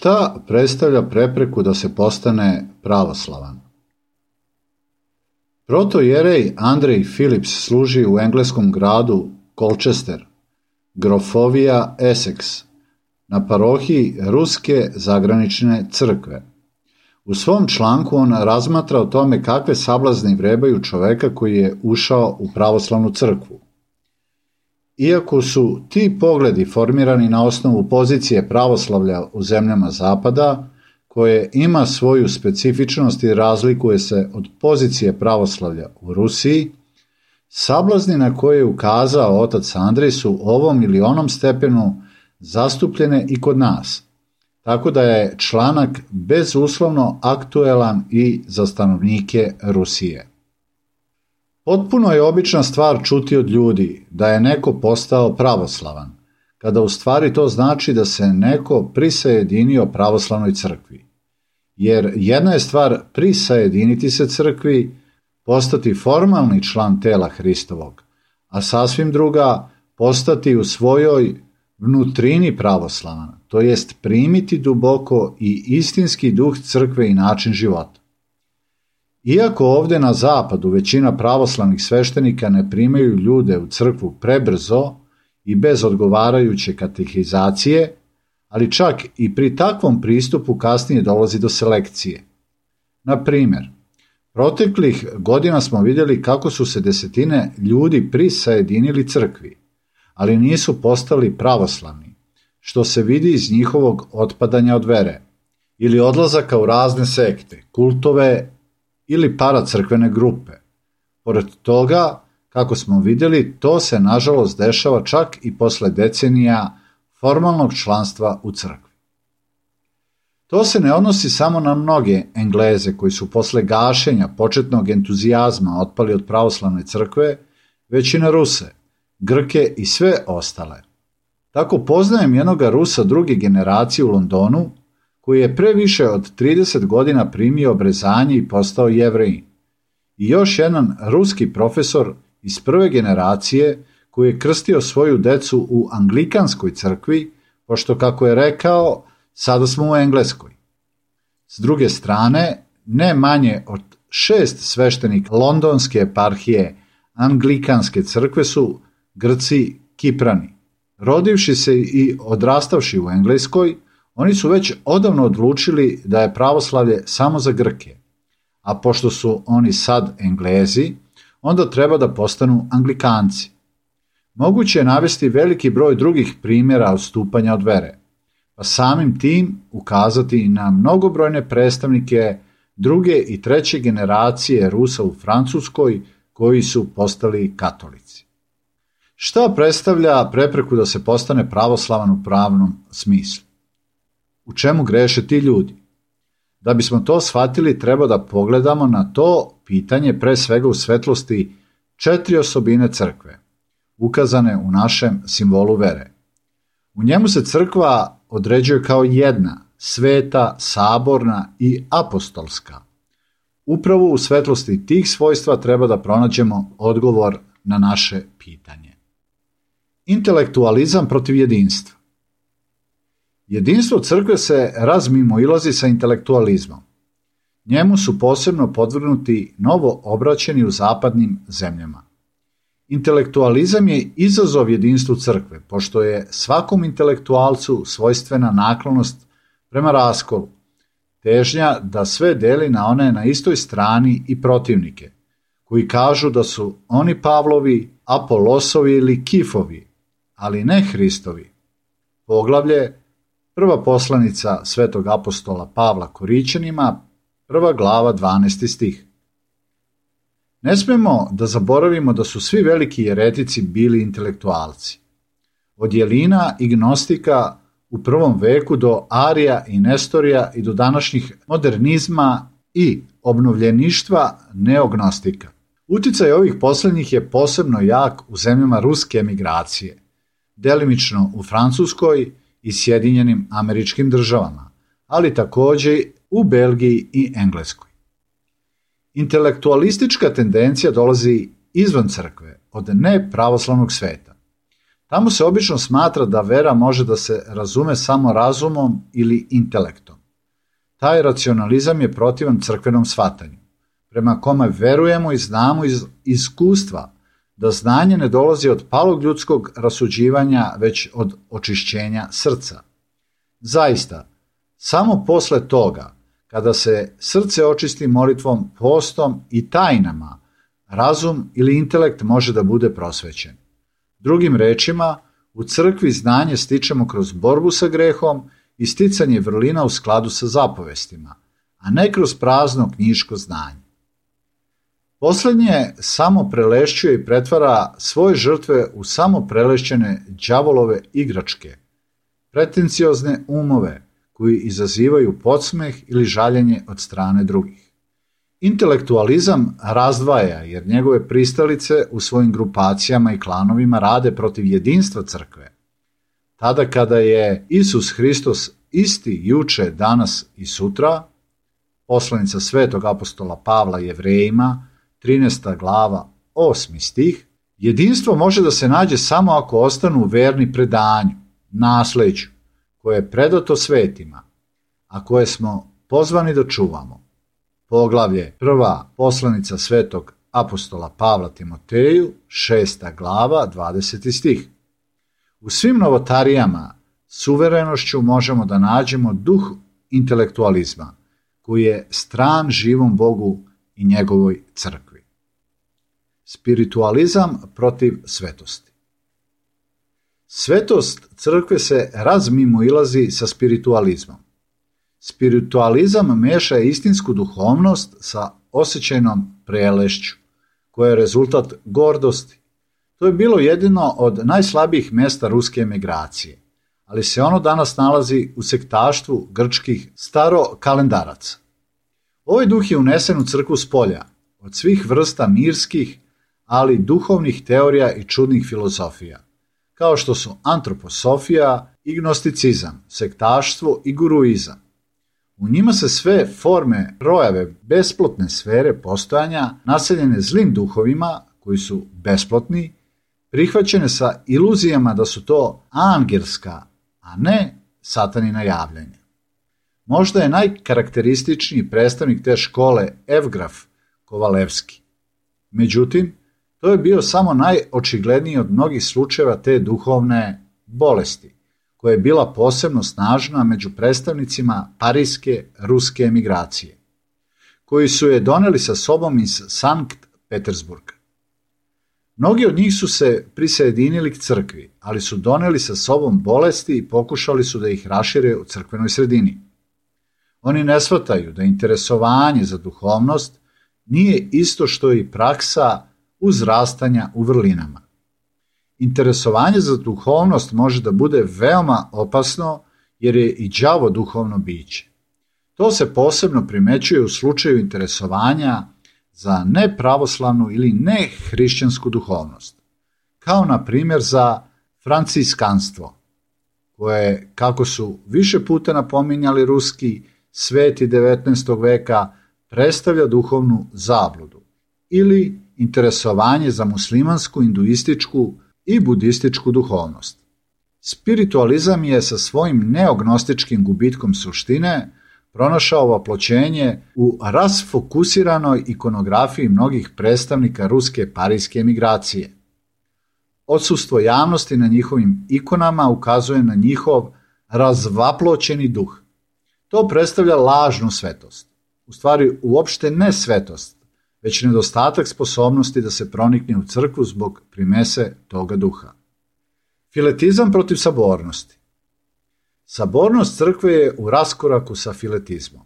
Šta predstavlja prepreku da se postane pravoslavan? Protojerej Andrej Phillips služi u engleskom gradu Colchester, grofovija Essex, na parohiji Ruske zagranične crkve. U svom članku on razmatra o tome kakve sablazni vrebaju čoveka koji je ušao u pravoslavnu crkvu. Iako su ti pogledi formirani na osnovu pozicije pravoslavlja u zemljama Zapada, koje ima svoju specifičnost i razlikuje se od pozicije pravoslavlja u Rusiji, sablazni na koje je ukazao otac Andrej su ovom ili onom stepenu zastupljene i kod nas, tako da je članak bezuslovno aktuelan i za stanovnike Rusije. Potpuno je obična stvar čuti od ljudi da je neko postao pravoslavan, kada u stvari to znači da se neko prisajedinio pravoslavnoj crkvi. Jer jedna je stvar prisajediniti se crkvi, postati formalni član tela Hristovog, a sasvim druga postati u svojoj vnutrini pravoslavan, to jest primiti duboko i istinski duh crkve i način života. Iako ovdje na zapadu većina pravoslavnih sveštenika ne primaju ljude u crkvu prebrzo i bez odgovarajuće katehizacije, ali čak i pri takvom pristupu kasnije dolazi do selekcije. Na primjer, proteklih godina smo vidjeli kako su se desetine ljudi prisajedinili crkvi, ali nisu postali pravoslavni, što se vidi iz njihovog otpadanja od vere, ili odlazaka u razne sekte, kultove ili paracrkvene grupe. Pored toga, kako smo vidjeli, to se nažalost dešava čak i posle decenija formalnog članstva u crkvi. To se ne odnosi samo na mnoge Engleze koji su posle gašenja početnog entuzijazma otpali od pravoslavne crkve, već i na Ruse, Grke i sve ostale. Tako poznajem jednoga Rusa druge generacije u Londonu, koji je pre više od 30 godina primio obrezanje i postao Jevrejin. I još jedan ruski profesor iz prve generacije koji je krstio svoju decu u anglikanskoj crkvi, pošto, kako je rekao, sada smo u Engleskoj. S druge strane, ne manje od 6 sveštenika londonske eparhije anglikanske crkve su Grci Kiprani. Rodivši se i odrastavši u Engleskoj, oni su već odavno odlučili da je pravoslavlje samo za Grke, a pošto su oni sad Englezi, onda treba da postanu Anglikanci. Moguće je navesti veliki broj drugih primjera odstupanja od vere, pa samim tim ukazati i na mnogobrojne predstavnike druge i treće generacije Rusa u Francuskoj koji su postali katolici. Šta predstavlja prepreku da se postane pravoslavan u pravnom smislu? U čemu greše ti ljudi? Da bismo to shvatili, treba da pogledamo na to pitanje pre svega u svetlosti 4 osobine crkve, ukazane u našem simbolu vere. U njemu se crkva određuje kao jedna, sveta, saborna i apostolska. Upravo u svetlosti tih svojstva treba da pronađemo odgovor na naše pitanje. Intelektualizam protiv jedinstva. Jedinstvo crkve se razmimoilazi sa intelektualizmom. Njemu su posebno podvrgnuti novo obraćeni u zapadnim zemljama. Intelektualizam je izazov jedinstvu crkve, pošto je svakom intelektualcu svojstvena naklonost prema raskolu, težnja da sve deli na one na istoj strani i protivnike, koji kažu da su oni Pavlovi, Apolosovi ili Kifovi, ali ne Hristovi. Poglavlje, prva poslanica svetog apostola Pavla Korićanima, 1. glava 12. stih. Ne smemo da zaboravimo da su svi veliki jeretici bili intelektualci. Od Jelina i Gnostika u prvom veku do Arija i Nestorija i do današnjih modernizma i obnovljeništva neognostika. Uticaj ovih posljednjih je posebno jak u zemljama ruske emigracije, delimično u Francuskoj i Sjedinjenim Američkim Državama, ali također u Belgiji i Engleskoj. Intelektualistička tendencija dolazi izvan crkve, od nepravoslavnog sveta. Tamo se obično smatra da vera može da se razume samo razumom ili intelektom. Taj racionalizam je protivan crkvenom shvatanju, prema kome verujemo i znamo iz iskustva da znanje ne dolazi od palog ljudskog rasuđivanja, već od očišćenja srca. Zaista, samo posle toga, kada se srce očisti molitvom, postom i tajnama, razum ili intelekt može da bude prosvećen. Drugim rečima, u crkvi znanje stičemo kroz borbu sa grehom i sticanje vrlina u skladu sa zapovestima, a ne kroz prazno knjiško znanje. Poslednje samo prelešćuje i pretvara svoje žrtve u samo prelešćene đavolove igračke, pretenciozne umove koji izazivaju podsmeh ili žaljenje od strane drugih. Intelektualizam razdvaja jer njegove pristalice u svojim grupacijama i klanovima rade protiv jedinstva crkve. Tada kada je Isus Hristos isti juče, danas i sutra, poslanica svetog apostola Pavla Jevrejima, 13. glava, 8. stih, jedinstvo može da se nađe samo ako ostanu verni predanju, nasleđu, koje je predato svetima, a koje smo pozvani da čuvamo. Poglavlje 1. poslanica svetog apostola Pavla Timoteju, 6. glava, 20. stih. U svim novotarijama s uverenošću možemo da nađemo duh intelektualizma, koji je stran živom Bogu i njegovoj crkvi. Spiritualizam protiv svetosti. Svetost crkve se razmimoilazi sa spiritualizmom. Spiritualizam meša istinsku duhovnost sa osjećajnom prelešću, koja je rezultat gordosti. To je bilo jedino od najslabijih mesta ruske emigracije, ali se ono danas nalazi u sektaštvu grčkih starokalendaraca. Ovaj duh je unesen u crkvu spolja, od svih vrsta mirskih, ali duhovnih teorija i čudnih filozofija, kao što su antroposofija i gnosticizam, sektaštvo i guruizam. U njima se sve forme projave besplotne sfere postojanja, naseljene zlim duhovima koji su besplotni, prihvaćene sa iluzijama da su to angelska, a ne satanina javljanja. Možda je najkarakterističniji predstavnik te škole Evgraf Kovalevski. Međutim, to je bio samo najočigledniji od mnogih slučajeva te duhovne bolesti, koja je bila posebno snažna među predstavnicima parijske ruske emigracije, koji su je doneli sa sobom iz Sankt Petersburga. Mnogi od njih su se prisajedinili k crkvi, ali su doneli sa sobom bolesti i pokušali su da ih rašire u crkvenoj sredini. Oni ne shvataju da interesovanje za duhovnost nije isto što i praksa uzrastanja u vrlinama. Interesovanje za duhovnost može da bude veoma opasno jer je i đavo duhovno biće. To se posebno primećuje u slučaju interesovanja za nepravoslavnu ili nehrišćansku duhovnost, kao na primjer za franciskanstvo, koje, kako su više puta napominjali ruski sveti 19. veka, predstavlja duhovnu zabludu, ili interesovanje za muslimansku, hinduističku i budističku duhovnost. Spiritualizam je sa svojim neognostičkim gubitkom suštine pronašao vaploćenje u rasfokusiranoj ikonografiji mnogih predstavnika ruske parijske emigracije. Odsustvo javnosti na njihovim ikonama ukazuje na njihov razvaploćeni duh. To predstavlja lažnu svetost, u stvari uopšte ne svetost, već nedostatak sposobnosti da se pronikne u crkvu zbog primese toga duha. Filetizam protiv sabornosti. Sabornost crkve je u raskoraku sa filetizmom.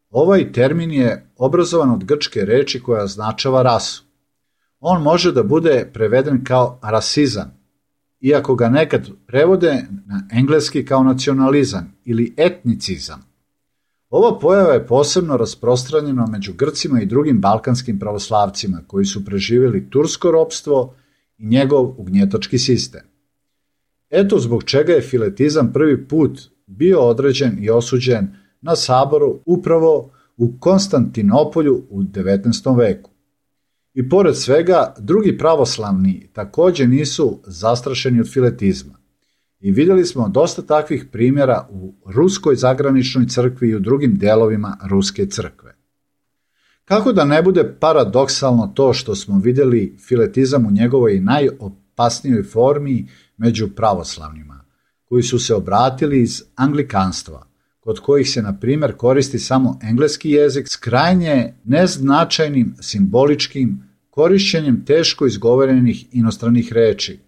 Ovaj termin je obrazovan od grčke reči koja označava rasu. On može da bude preveden kao rasizam, iako ga nekad prevode na engleski kao nacionalizam ili etnicizam. Ova pojava je posebno rasprostranjena među Grcima i drugim balkanskim pravoslavcima koji su preživjeli tursko ropstvo i njegov ugnjetački sistem. Eto zbog čega je filetizam prvi put bio određen i osuđen na saboru upravo u Konstantinopolju u 19. veku. I pored svega, drugi pravoslavni također nisu zastrašeni od filetizma. I vidjeli smo dosta takvih primjera u ruskoj zagraničnoj crkvi i u drugim delovima ruske crkve. Kako da ne bude paradoksalno to što smo vidjeli filetizam u njegovoj najopasnijoj formi među pravoslavnima, koji su se obratili iz anglikanstva, kod kojih se, na primjer, koristi samo engleski jezik s krajnje neznačajnim simboličkim korišćenjem teško izgovorenih inostranih reči,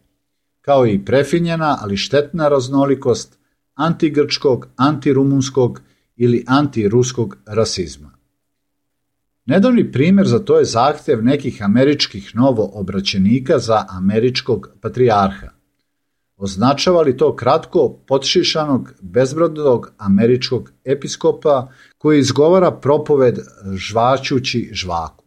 kao i prefinjena, ali štetna raznolikost antigrčkog, antirumunskog ili antiruskog rasizma. Nedavni primjer za to je zahtjev nekih američkih novoobraćenika za američkog patrijarha. Označava li to kratko potšišanog, bezbrodog američkog episkopa koji izgovara propoved žvačući žvaku?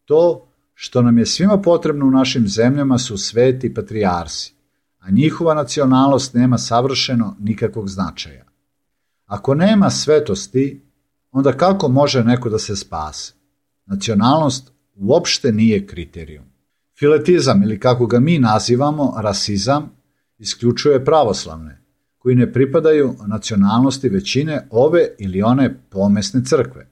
To što nam je svima potrebno u našim zemljama su sveti patrijarsi, a njihova nacionalnost nema savršeno nikakvog značaja. Ako nema svetosti, onda kako može neko da se spase? Nacionalnost uopšte nije kriterijum. Filetizam, ili kako ga mi nazivamo rasizam, isključuje pravoslavne, koji ne pripadaju nacionalnosti većine ove ili one pomesne crkve.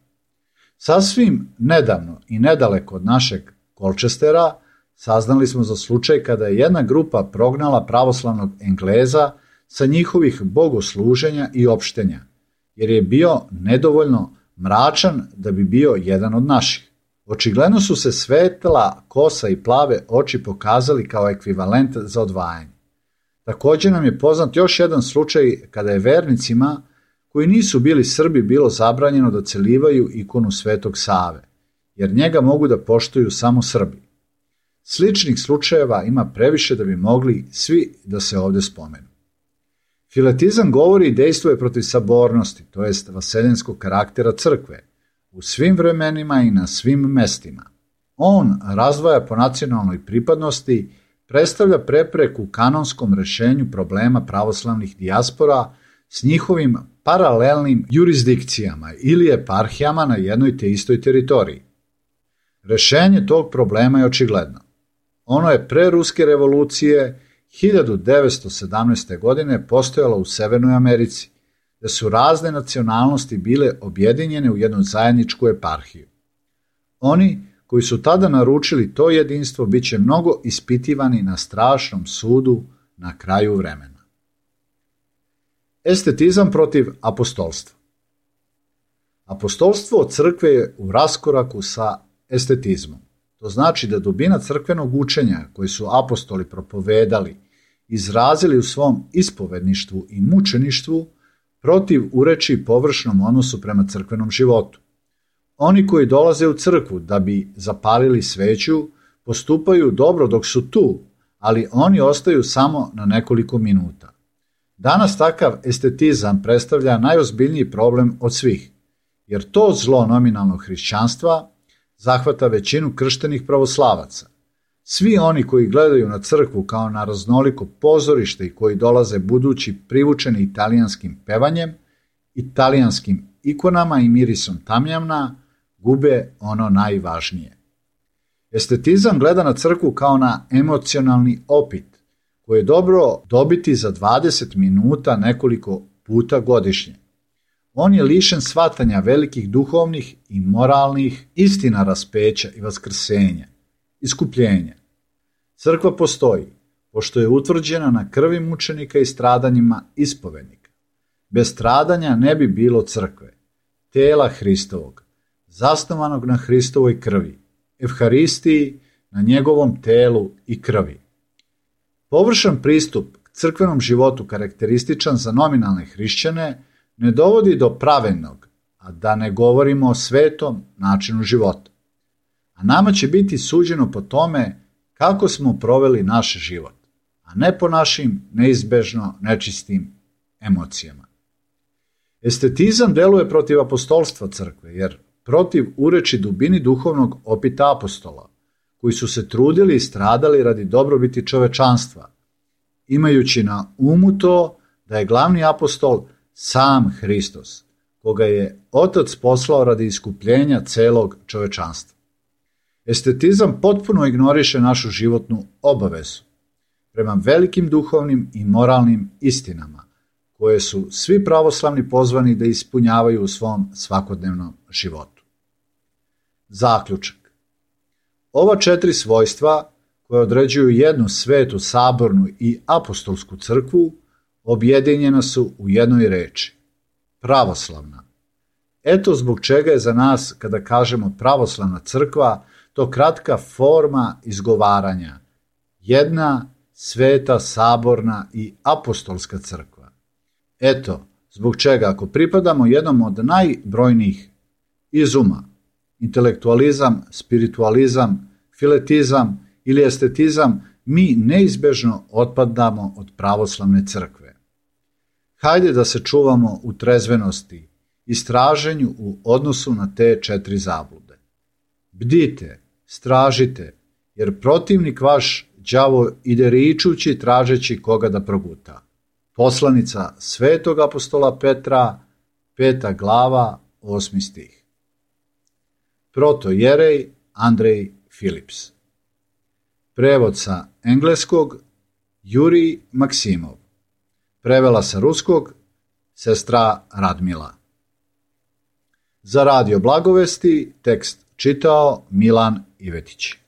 Sasvim nedavno i nedaleko od našeg Colchestera saznali smo za slučaj kada je jedna grupa prognala pravoslavnog Engleza sa njihovih bogosluženja i opštenja, jer je bio nedovoljno mračan da bi bio jedan od naših. Očigledno su se svetla kosa i plave oči pokazali kao ekvivalent za odvajanje. Također nam je poznat još jedan slučaj kada je vernicima koji nisu bili Srbi bilo zabranjeno da celivaju ikonu Svetog Save, jer njega mogu da poštuju samo Srbi. Sličnih slučajeva ima previše da bi mogli svi da se ovdje spomenu. Filetizam govori i dejstvuje protiv sabornosti, to jest vaseljenskog karaktera crkve, u svim vremenima i na svim mestima. On razdvaja po nacionalnoj pripadnosti, predstavlja prepreku kanonskom rešenju problema pravoslavnih dijaspora s njihovim paralelnim jurisdikcijama ili eparhijama na jednoj te istoj teritoriji. Rešenje tog problema je očigledno. Ono je pre Ruske revolucije 1917. godine postojalo u Severnoj Americi, gde su razne nacionalnosti bile objedinjene u jednu zajedničku eparhiju. Oni koji su tada naručili to jedinstvo bit će mnogo ispitivani na strašnom sudu na kraju vremena. Estetizam protiv apostolstva. Apostolstvo crkve je u raskoraku sa estetizmom. To znači da dubina crkvenog učenja koje su apostoli propovedali, izrazili u svom ispovedništvu i mučeništvu, protiv ureči površnom odnosu prema crkvenom životu. Oni koji dolaze u crkvu da bi zapalili sveću, postupaju dobro dok su tu, ali oni ostaju samo na nekoliko minuta. Danas takav estetizam predstavlja najozbiljniji problem od svih, jer to zlo nominalnog hrišćanstva zahvata većinu krštenih pravoslavaca. Svi oni koji gledaju na crkvu kao na raznoliko pozorište i koji dolaze budući privučeni italijanskim pevanjem, italijanskim ikonama i mirisom tamjana, gube ono najvažnije. Estetizam gleda na crkvu kao na emocionalni opit, koji je dobro dobiti za 20 minuta nekoliko puta godišnje. On je lišen shvatanja velikih duhovnih i moralnih istina raspeća i vaskrsenja, iskupljenja. Crkva postoji, pošto je utvrđena na krvi mučenika i stradanjima ispovednika. Bez stradanja ne bi bilo crkve, tela Hristovog, zasnovanog na Hristovoj krvi, evharistiji, na njegovom telu i krvi. Površan pristup k crkvenom životu karakterističan za nominalne hrišćane ne dovodi do pravednog, a da ne govorimo o svetom načinu života. A nama će biti suđeno po tome kako smo proveli naš život, a ne po našim neizbežno nečistim emocijama. Estetizam deluje protiv apostolstva crkve, jer protiv ureči dubini duhovnog opita apostola, koji su se trudili i stradali radi dobrobiti čovečanstva, imajući na umu to da je glavni apostol sam Hristos, koga je Otac poslao radi iskupljenja celog čovečanstva. Estetizam potpuno ignoriše našu životnu obavezu prema velikim duhovnim i moralnim istinama, koje su svi pravoslavni pozvani da ispunjavaju u svom svakodnevnom životu. Zaključak. Ova 4 svojstva, koje određuju jednu svetu, sabornu i apostolsku crkvu, objedinjena su u jednoj reči – pravoslavna. Eto zbog čega je za nas, kada kažemo pravoslavna crkva, to kratka forma izgovaranja. Jedna sveta, saborna i apostolska crkva. Eto zbog čega, ako pripadamo jednom od najbrojnijih izuma, intelektualizam, spiritualizam, filetizam ili estetizam, mi neizbežno otpadamo od pravoslavne crkve. Hajde da se čuvamo u trezvenosti i straženju u odnosu na te 4 zablude. Bdite, stražite, jer protivnik vaš, đavo, ide ričući tražeći koga da proguta. Poslanica svetog apostola Petra, 5. glava, 8. stih. Protojerej Andrej Philips. Prevod sa engleskog Jurij Maksimov. Prevela sa ruskog sestra Radmila. Za Radio Blagovesti tekst čitao Milan Ivetić.